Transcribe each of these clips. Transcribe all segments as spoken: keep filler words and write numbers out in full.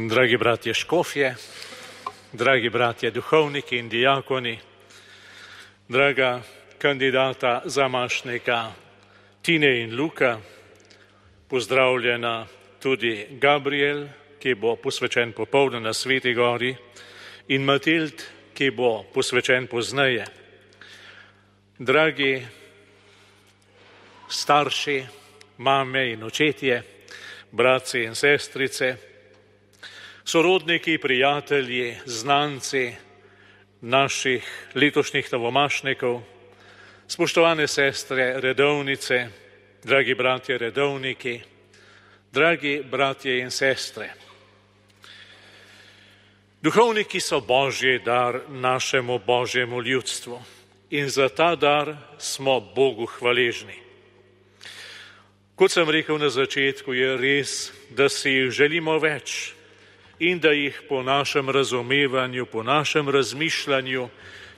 Dragi bratje škofje, dragi bratje duhovniki in dijakoni, draga kandidata zamašnika Tine in Luka, pozdravljena tudi Gabriel, ki bo posvečen popoldne na Sveti gori, in Matild, ki bo posvečen pozneje. Dragi starši, mame in očetje, bratci in sestrice, sorodniki, prijatelji, znanci naših letošnjih novomašnikov, spoštovane sestre redovnice, dragi bratje redovniki, dragi bratje in sestre. Duhovniki so Božji dar našemu Božjemu ljudstvu in za ta dar smo Bogu hvaležni. Kot sem rekel na začetku, je res, da si jih želimo več in da jih po našem razumevanju, po našem razmišljanju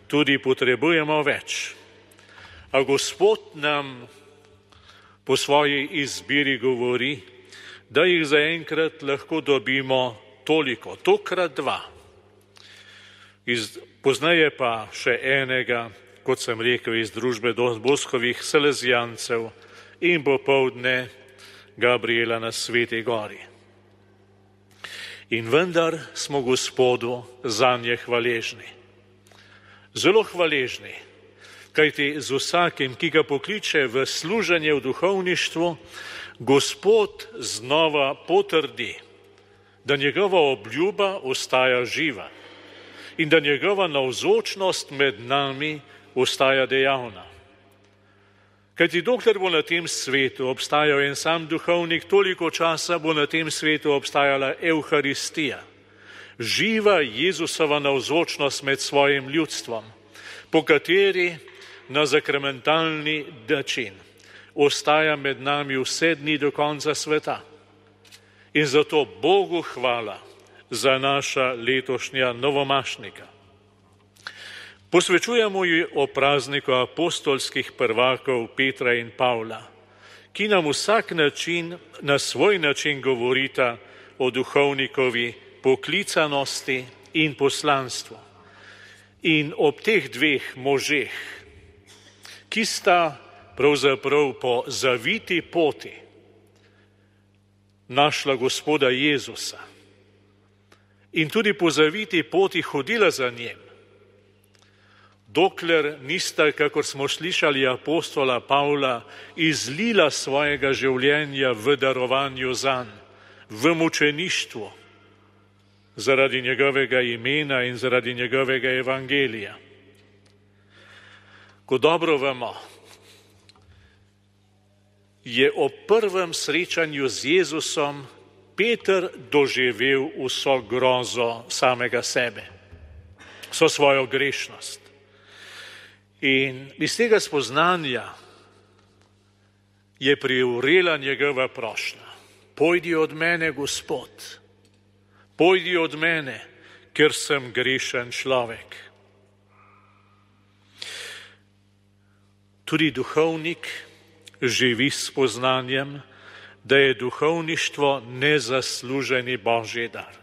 tudi potrebujemo več. A Gospod nam po svoji izbiri govori, da jih zaenkrat lahko dobimo toliko, tokrat dva. Iz, poznaje pa še enega, kot sem rekel, iz družbe Boskovih Salezijancev in popoldne Gabriela na Sveti gori. In vendar smo Gospodu zanje hvaležni. Zelo hvaležni, kajti z vsakim, ki ga pokliče v služenje v duhovništvu, Gospod znova potrdi, da njegova obljuba ostaja živa in da njegova navzočnost med nami ostaja dejavna. Kajti dokler bo na tem svetu obstajal en sam duhovnik, toliko časa bo na tem svetu obstajala Evharistija, živa Jezusova navzočnost med svojim ljudstvom, po kateri na sakramentalni način ostaja med nami vse dni do konca sveta. In zato Bogu hvala za naša letošnja novomašnika. Posvečujemo ji o prazniku apostolskih prvakov Petra in Pavla, ki nam vsak način, na svoj način govorita o duhovnikovi poklicanosti in poslanstvu. In ob teh dveh možeh, ki sta pravzaprav po zaviti poti našla Gospoda Jezusa in tudi po zaviti poti hodila za njim, dokler nista, kakor smo slišali apostola Pavla, izlila svojega življenja v darovanju zanj, v mučeništvu, zaradi njegovega imena in zaradi njegovega evangelija. Ko dobro vemo, je ob prvem srečanju z Jezusom Peter doživel vso grozo samega sebe, vso svojo grešnost. In iz tega spoznanja je privrela njegova prošnja. Pojdi od mene, Gospod, pojdi od mene, ker sem grešen človek. Tudi duhovnik živi s spoznanjem, da je duhovništvo nezasluženi Božji dar.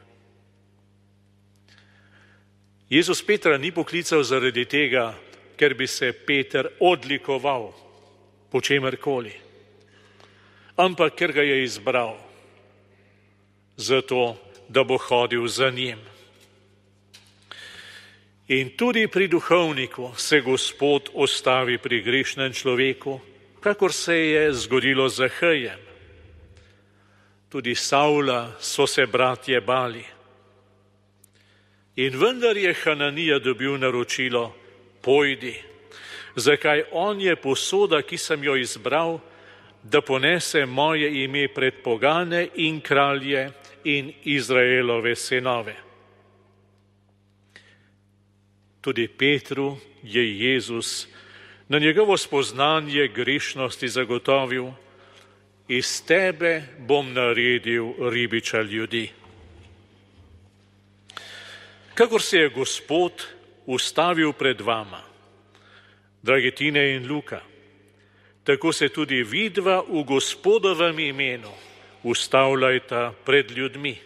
Jezus Petra ni poklical zaradi tega, ker bi se Peter odlikoval po čemerkoli, ampak ker ga je izbral zato, da bo hodil za njim. In tudi pri duhovniku se Gospod ostavi pri grešnem človeku, kakor se je zgodilo z Zahejem. Tudi Savla so se bratje bali. In vendar je Hananija dobil naročilo, pojdi, zakaj on je posoda, ki sem jo izbral, da ponese moje ime pred pogane in kralje in Izraelove sinove. Tudi Petru je Jezus na njegovo spoznanje grešnosti zagotovil, iz tebe bom naredil ribiča ljudi. Kakor se je Gospod ustavil pred vama, dragi Tine in Luka, tako se tudi vidva v Gospodovem imenu ustavljajta pred ljudmi.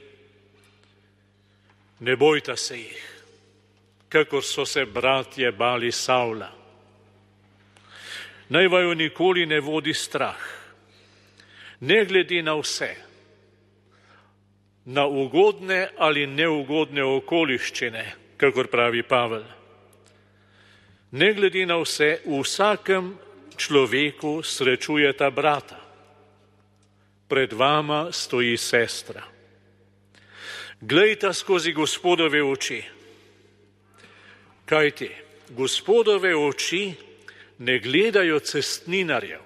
Ne bojta se jih, kakor so se bratje bali Savla. Naj vaju nikoli ne vodi strah, ne glede na vse, na ugodne ali neugodne okoliščine, kakor pravi Pavel. Ne glede na vse, v vsakem človeku srečujeta brata. Pred vama stoji sestra. Glejta skozi Gospodove oči. Kajti, Gospodove oči ne gledajo cestninarjev,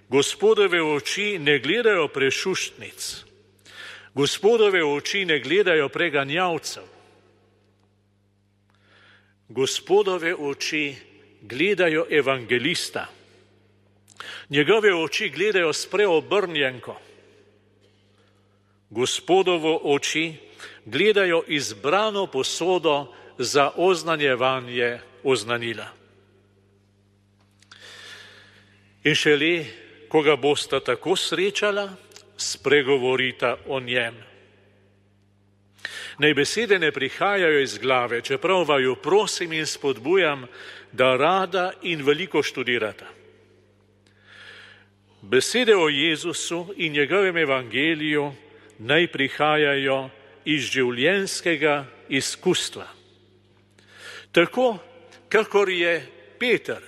Gospodove oči ne gledajo prešuštnic, Gospodove oči ne gledajo preganjavcev. Gospodove oči gledajo evangelista. Njegove oči gledajo s preobrnjenko. Gospodovo oči gledajo izbrano posodo za oznanjevanje oznanila. In šele, ko ga bosta tako srečala, spregovorita o njem. Naj besede ne prihajajo iz glave, čeprav vaju prosim in spodbujam, da rada in veliko študirata. Besede o Jezusu in njegovem evangeliju naj prihajajo iz življenjskega izkustva. Tako, kakor je Peter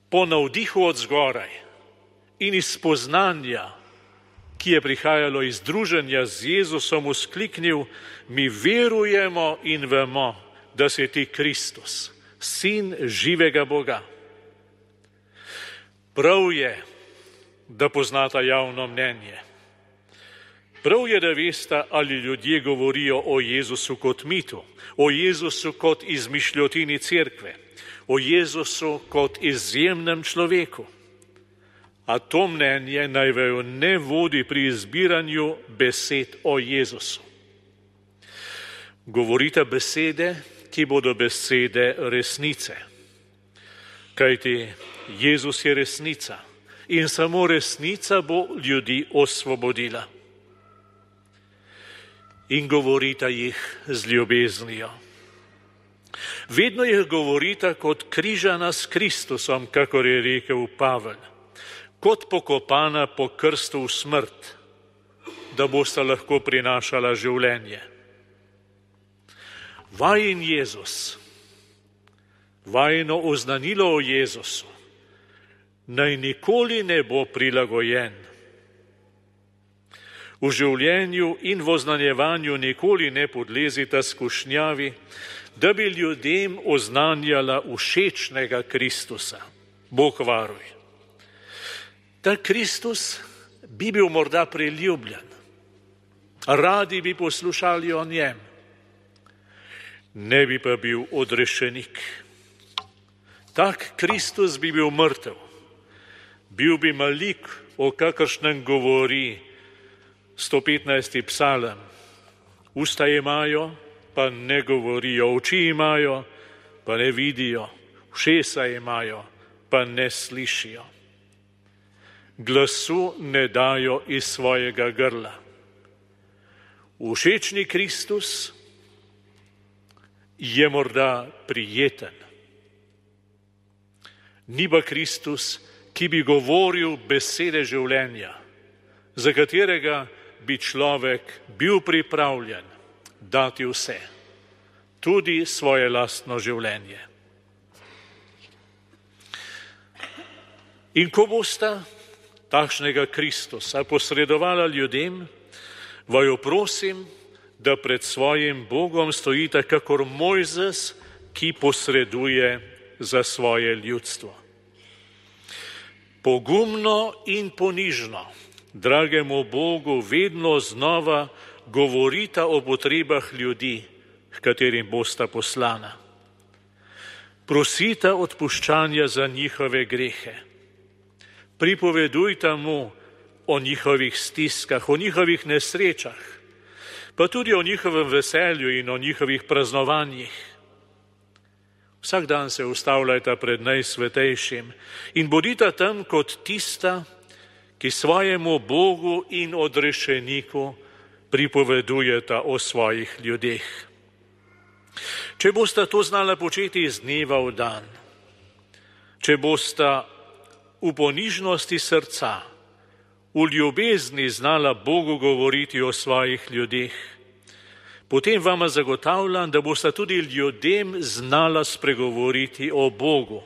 po navdihu od zgoraj in iz spoznanja, ki je prihajalo iz druženja z Jezusom, vzkliknil: mi verujemo in vemo, da si ti Kristus, sin živega Boga. Prav je, da poznata javno mnenje. Prav je, da veste, ali ljudje govorijo o Jezusu kot mitu, o Jezusu kot izmišljotini cerkve, o Jezusu kot izjemnem človeku. A to mnenje naj vaju ne vodi pri izbiranju besed o Jezusu. Govorite besede, ki bodo besede resnice. Kajti Jezus je resnica in samo resnica bo ljudi osvobodila. In govorita jih z ljubeznijo. Vedno jih govorita kot križana s Kristusom, kakor je rekel Pavel, kot pokopana po krstu v smrt, da bosta lahko prinašala življenje. Vajin Jezus, vajino oznanilo o Jezusu, naj nikoli ne bo prilagojen. V življenju in v oznanjevanju nikoli ne podlezita skušnjavi, da bi ljudem oznanjala všečnega Kristusa. Bog varuj. Ta Kristus bi bil morda priljubljen, radi bi poslušali o njem, ne bi pa bil odrešenik. Tak Kristus bi bil mrtev, bil bi malik, o kakršnem govori sto petnajsti psalem. Usta imajo, pa ne govorijo, oči imajo, pa ne vidijo, ušesa imajo, pa ne slišijo. Glasu ne dajo iz svojega grla. Všečni Kristus je morda prijeten. Ni pa Kristus, ki bi govoril besede življenja, za katerega bi človek bil pripravljen dati vse, tudi svoje lastno življenje. In ko bosta takšnega Kristusa posredovala ljudem, vaju prosim, da pred svojim Bogom stojite kakor Mojzes, ki posreduje za svoje ljudstvo. Pogumno in ponižno dragemu Bogu vedno znova govorita o potrebah ljudi, h katerim bosta poslana. Prosita odpuščanja za njihove grehe. Pripovedujta mu o njihovih stiskah, o njihovih nesrečah, pa tudi o njihovem veselju in o njihovih praznovanjih. Vsak dan se ustavljajta pred najsvetejšim in bodita tam kot tista, ki svojemu Bogu in odrešeniku pripovedujeta o svojih ljudeh. Če bosta to znala početi iz dneva v dan, če bosta v ponižnosti srca, v ljubezni znala Bogu govoriti o svojih ljudeh, potem vama zagotavljam, da bosta tudi ljudem znala spregovoriti o Bogu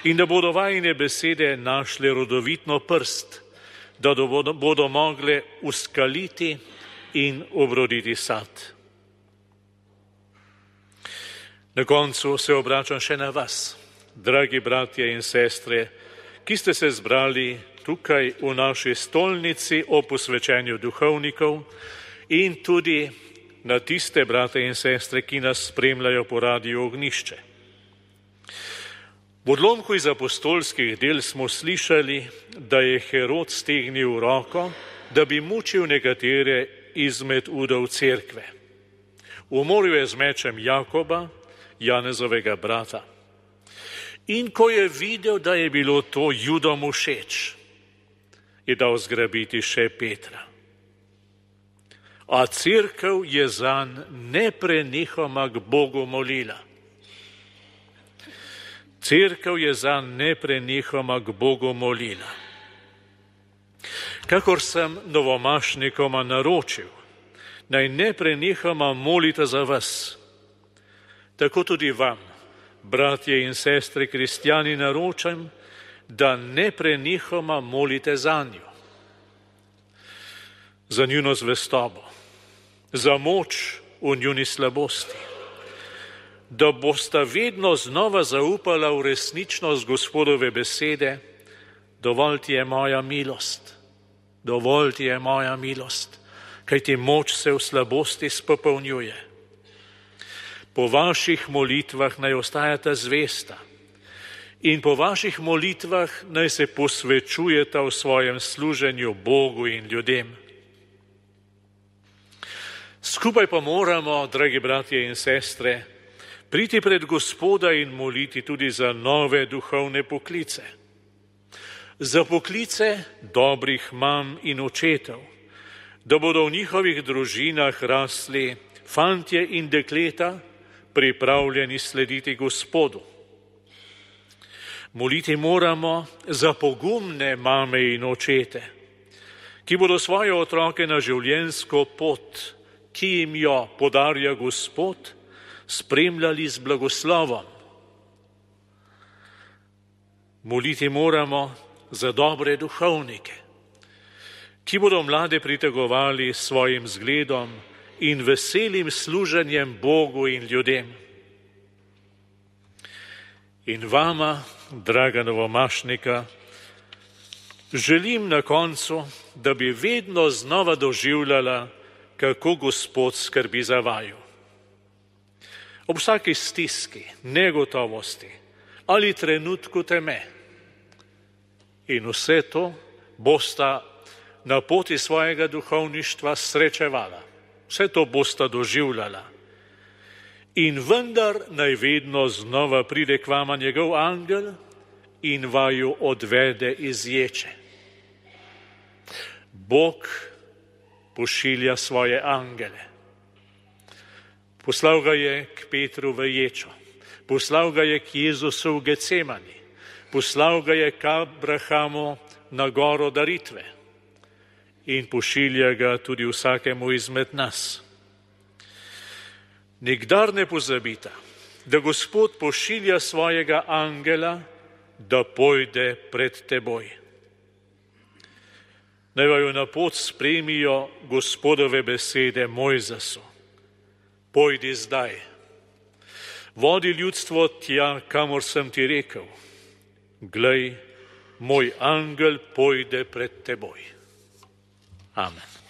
in da bodo vajine besede našle rodovitno prst, da bodo, bodo mogle uskaliti in obroditi sad. Na koncu se obračam še na vas, dragi bratje in sestre, ki ste se zbrali tukaj v naši stolnici o posvečenju duhovnikov in tudi na tiste brate in sestre, ki nas spremljajo po Radiu Ognišče. V odlomku iz apostolskih del smo slišali, da je Herod stegnil roko, da bi mučil nekatere izmed udov cerkve. Umoril je z mečem Jakoba, Janezovega brata. In ko je videl, da je bilo to Judom všeč, je dal zgrabiti še Petra. A cerkev je zanj neprenehoma k Bogu molila. Cerkev je zanj neprenehoma k Bogu molila. Kakor sem novomašnikoma naročil, naj neprenehoma molita za vas, tako tudi vam, bratje in sestre kristjani, naročam, da neprenehoma molite zanjo. Za njuno zvestobo, za moč v njuni slabosti, da bosta vedno znova zaupala v resničnost Gospodove besede, dovolj ti je moja milost, dovolj ti je moja milost, kajti moč se v slabosti spopolnjuje. Po vaših molitvah naj ostajata zvesta in po vaših molitvah naj se posvečujeta v svojem služenju Bogu in ljudem. Skupaj pa moramo, dragi bratje in sestre, priti pred Gospoda in moliti tudi za nove duhovne poklice. Za poklice dobrih mam in očetov, da bodo v njihovih družinah rasli fantje in dekleta, pripravljeni slediti Gospodu. Moliti moramo za pogumne mame in očete, ki bodo svoje otroke na življenjsko pot, ki jim jo podarja Gospod, spremljali z blagoslovom. Moliti moramo za dobre duhovnike, ki bodo mlade pritegovali s svojim zgledom in veselim služenjem Bogu in ljudem. In vama, draga novomašnika, želim na koncu, da bi vedno znova doživljala, kako Gospod skrbi za vaju. Ob vsaki stiski, negotovosti ali trenutku teme. In vse to bosta na poti svojega duhovništva srečevala. Vse to bosta doživljala. In vendar naj vedno znova pride k vama njegov angel in vaju odvede iz ječe. Bog pošilja svoje angele. Poslal ga je k Petru v ječo, poslal ga je k Jezusu v Gecemani, poslal ga je k Abrahamu na goro daritve in pošilja ga tudi vsakemu izmed nas. Nikdar ne pozabita, da Gospod pošilja svojega angela, da pojde pred teboj. Naj vaju na pot spremijo Gospodove besede Mojzesu. Pojdi zdaj, vodi ljudstvo tja, kamor sem ti rekel. Glej, moj angel pojde pred teboj. Amen.